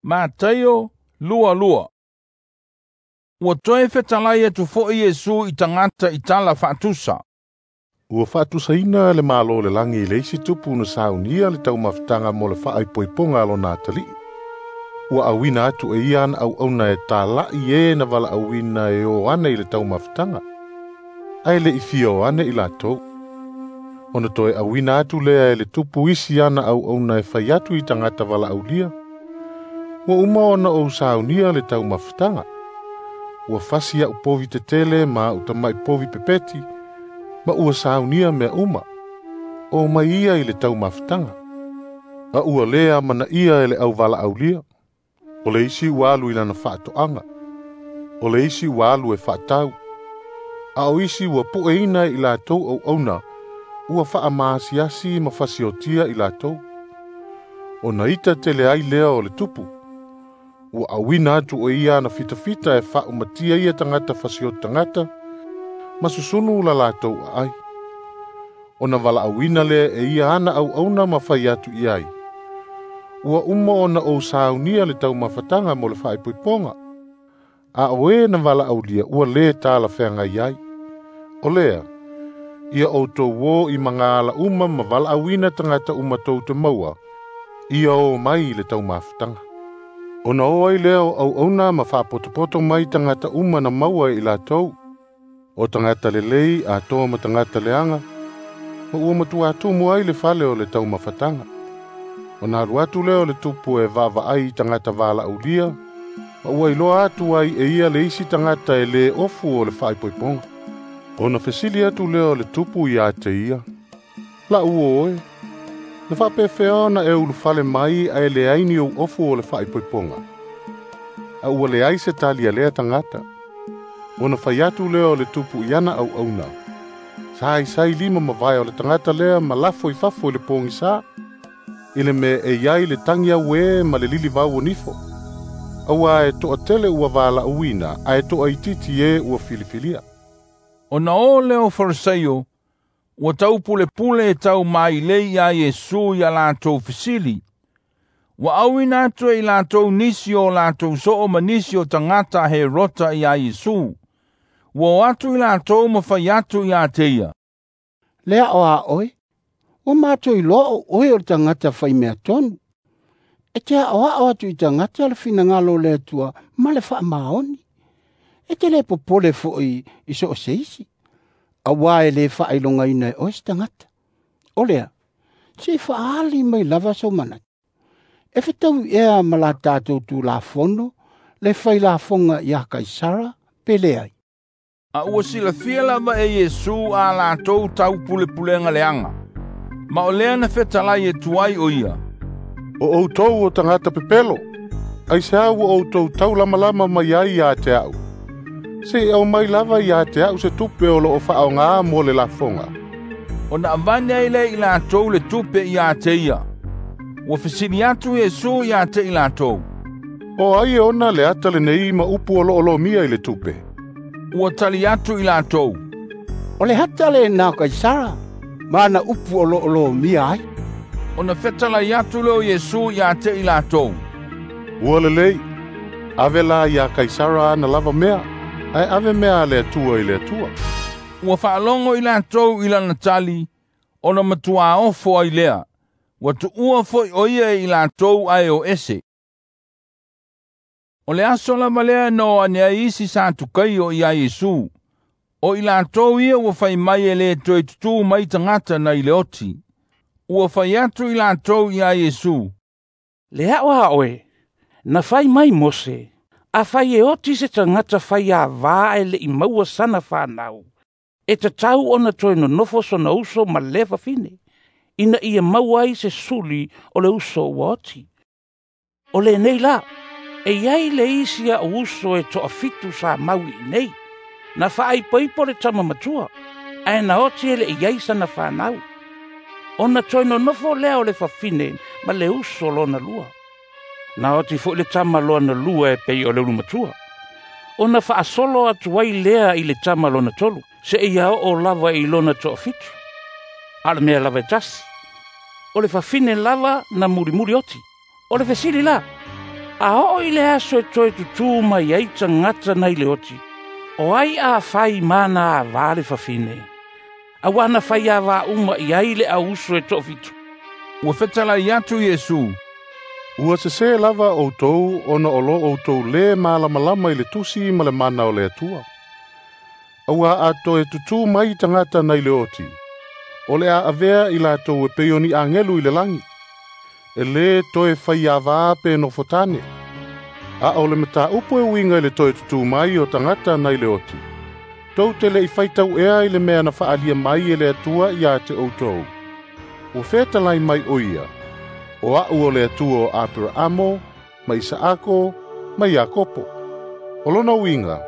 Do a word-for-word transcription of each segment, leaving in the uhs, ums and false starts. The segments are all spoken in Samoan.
Mataio lua lua. Ua toe fetalai atu fo'i Iesu i tagata i tala faatusa. Ua faatusaina le Malo o le lagi i le isi tupu na saunia le taumafataga mo le faaipoipoga a lona atalii. Ua auina atu e ia ana auauna e tala'i e na valaauina e o ane i le taumafataga, ae le i fia o ane i latou. Ona toe auina atu lea e le tupu isi ana auauna e fai atu i tagata valaaulia. Ua uma ona ou saunia le taumafataga. Ua fasi a'u povi tetele ma a'u tama'i povi pepeti, ma ua saunia mea uma. O mai ia i le taumafataga. A ua lē amanaia e le auvalaaulia. O le isi ua alu i lana faatoaga. O le isi ua alu e faatau. A o isi ua pueina i latou auauna, ua faamaasiasi ma fasiotia i latou. Ona ita tele ai lea o le tupu. Ua auina atu e ia ana fitafita e faaumatia ia tagata fasioti tagata, ma susunu la latou aai. Ona valaauina lea e ia ana auauna ma fai atu i ai. Ua uma ona ou saunia le taumafataga mo le faaipoipoga. A o e na valaaulia ua lē talafeagai ai. O lea, ia outou o i magaala uma ma valaauina tagata uma tou te maua, ia o mai i le taumafataga. Ona o ai lea o auauna ma faapotopoto mai tagata uma na maua e i latou, o tagata lelei atoa ma tagata leaga, ma ua matuatumu ai le fale o le taumafataga. Ona alu atu lea o le tupu e vaavaai i tagata valaaulia, ma ua iloa atu ai e ia le isi tagata e lē ofu o le faaipoipoga. Ona fesili atu lea o le tupu ia te ia, La'u o oe, na faapefea ona e ulufale mai ae leai ni ou ofu o le faaipoipoga. A ua leai se tali a lea tagata. Ona fai atu lea o le tupu i ana auauna. Saisai lima mavae o le tagata lea ma lafo i fafo i le pogisā, i le mea e i ai le tagi auē ma le lilivau o nifo. Auā e toatele ua valaauina ae toaitiiti e ua filifilia. Ona o lea o Farisaio, ua taupulepule e taumailei iā Iesu ia latou fesili. Ua auina atu e i latou nisi o latou soo ma nisi o tagata a Herota iā Iesu. Ua o atu i latou ma fai atu iā te ia. Le ao a oe, ua matou iloa o oe o le tagata faimea tonu. E te aoao atu i tagata le finagalo o le Atua ma le faamaoni. E te le popole fo'i i so o se isi, auā e lē faailogaina e oe se tagata. O lea, se i faaali mai lava sou manatu. E fetaui ea ma la tatou Tulafono le failafoga iā Kaisara pe leai. A ua silafia lava e Iesu a latou taupulepulega leaga. Ma o lea na fetalai atu ai o ia. O outou o tagata pepelo, aisea ua outou taulamalama mai ai ia te a'u. Se i aumai lava ia te a'u se tupe o loo faaogā mo le lafoga. Ona avane ai lea i latou le tupe ia te ia. Ua fesili atu Iesu ia te i latou. O ai e ona le ata lenei ma upu o loo lomia i le tupe? Ua tali atu i latou. O le ata lenā o Kaisara, ma ana upu o loo lomia ai. Ona fetalai atu lea o Iesu ia te i latou. Ua lelei, ave la iā Kaisara ana lava mea, ae ave mea a le Atua i le Atua. Ua faalogo i latou i lana tali, ona matuā ofo ai lea. Ua tuua fo'i o ia e i latou ae o ese. O le aso lava lea na o ane ai isi Satukaio iā Iesu. O i latou ia ua fai mai e lē toe tutū mai tagata nai le oti. Ua fai atu i latou iā Iesu. Le ao a oe, na fai mai Mose, afai e oti se tagata faiāvā ae le'i maua sana fanau, e tatau ona toe nonofo sona uso ma lea fafine, ina ia maua ai se suli o le uso ua oti. O lenei la, e iai le isi a'u uso e toafitu sa mau iinei, na faaipoipo le tama matua, ae na oti e le'i ai sana fanau. Ona toe nonofo lea o le fafine ma le uso lona lua. Na oti fo'i le tama lona lua e pei o le ulumatua. Ona faasolo atu ai lea i le tama lona tolu, seia oo lava i lona toafitu. A o le mea lava e tasi. O le fafine lava na mulimuli oti. O le fesili la, A oo i le aso e toe tutū mai ai tagata nai le oti, o ai a fai mana avā le fafine? Auā na fai avā uma i ai le auuso e toʻafitu. Ua fetalai atu Iesu, Ua sesē lava outou ona o lo outou lē malamalama i le tusi ma le mana o le Atua. Auā a toe tutū mai tagata nai le oti, o le a avea i latou e pei o ni agelu i le lagi. E lē toe faiavā pe nofotane. A o le mataupu e uiga i le toe tutū mai o tagata nai le oti, tou te leʻi faitau ea i le mea na faaalia mai e le Atua iā te outou. Ua fetalai mai o ia, o a'u o le Atua o Aperaamo, ma Isaako, ma Iakopo. O lona uiga,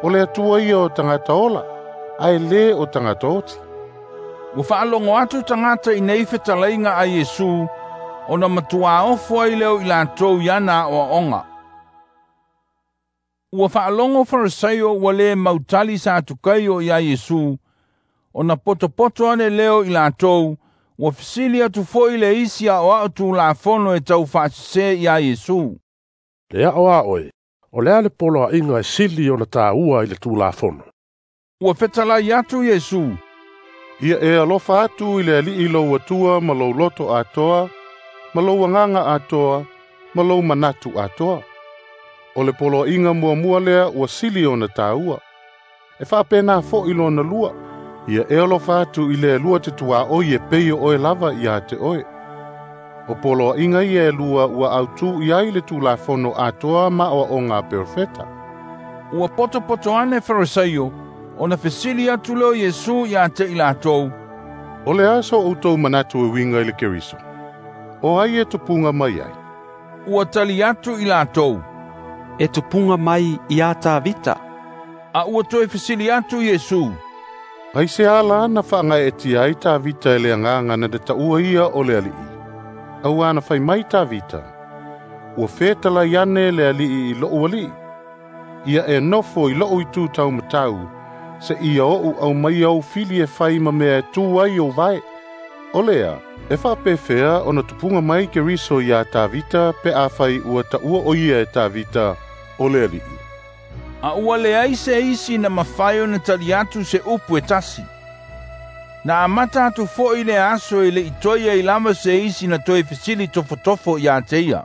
o le Atua ia o tagata ola, ae lē o tagata oti. Ua faalogo atu tagata i nei fetalaiga a Iesu, ona matuā ofo ai leo i latou i ana aʻoaʻoga. Ua faalogo Farisaio ua lē mautali Satukaio iā Iesu, ona potopoto ane leo i latou, ua fesili atu foʻi le isi aʻoaʻo tulafono e tau faasesē iā Iesu. Le aʻo a oe, o le a le poloaʻiga e sili ona tāua i le tulafono. Ua fetalai atu Iesu, Ia e alofa atu i le Alii lou Atua ma lou loto atoa, ma lou agaga atoa, ma lou manatu atoa. O le poloaʻiga muamua lea ua sili ona tāua. E faapena foʻi lona lua, ia e alofa atu i le alua te tuaʻoi e pei o oe lava iā te oe. O poloaʻiga ia e lua ua autū i ai le tulafono atoa ma aʻoaʻoga a perofeta. Ua potopoto ane Farisaio, ona fesili atu leo Iesu iā te i latou, O le a so outou manatu e uiga i le Keriso? O ai e tupuga mai ai? Ua tali atu i latou, E tupuga mai iā Tavita. A ua toe fesili atu Iesu, Ai se ala na faagaeetia ai Tavita e le agaga na te taʻua ia o le Alii. Auā na fai mai Tavita, ua fetalai ane le Alii i loʻu alii. Ia e nofo i loʻu itu taumatau, seia oʻu aumaia ou fili e fai ma mea e tū ai ou vae. O lea, e faapefea ona tupuga mai Keriso iā Tavita pe afai ua taʻua o ia e Tavita o le Alii. A ua leai se isi na mafai ona tali atu se upu e tasi. Na amata atu foʻi le aso e leʻi toe ai lava se isi na toe fesili tofotofo iā te ia.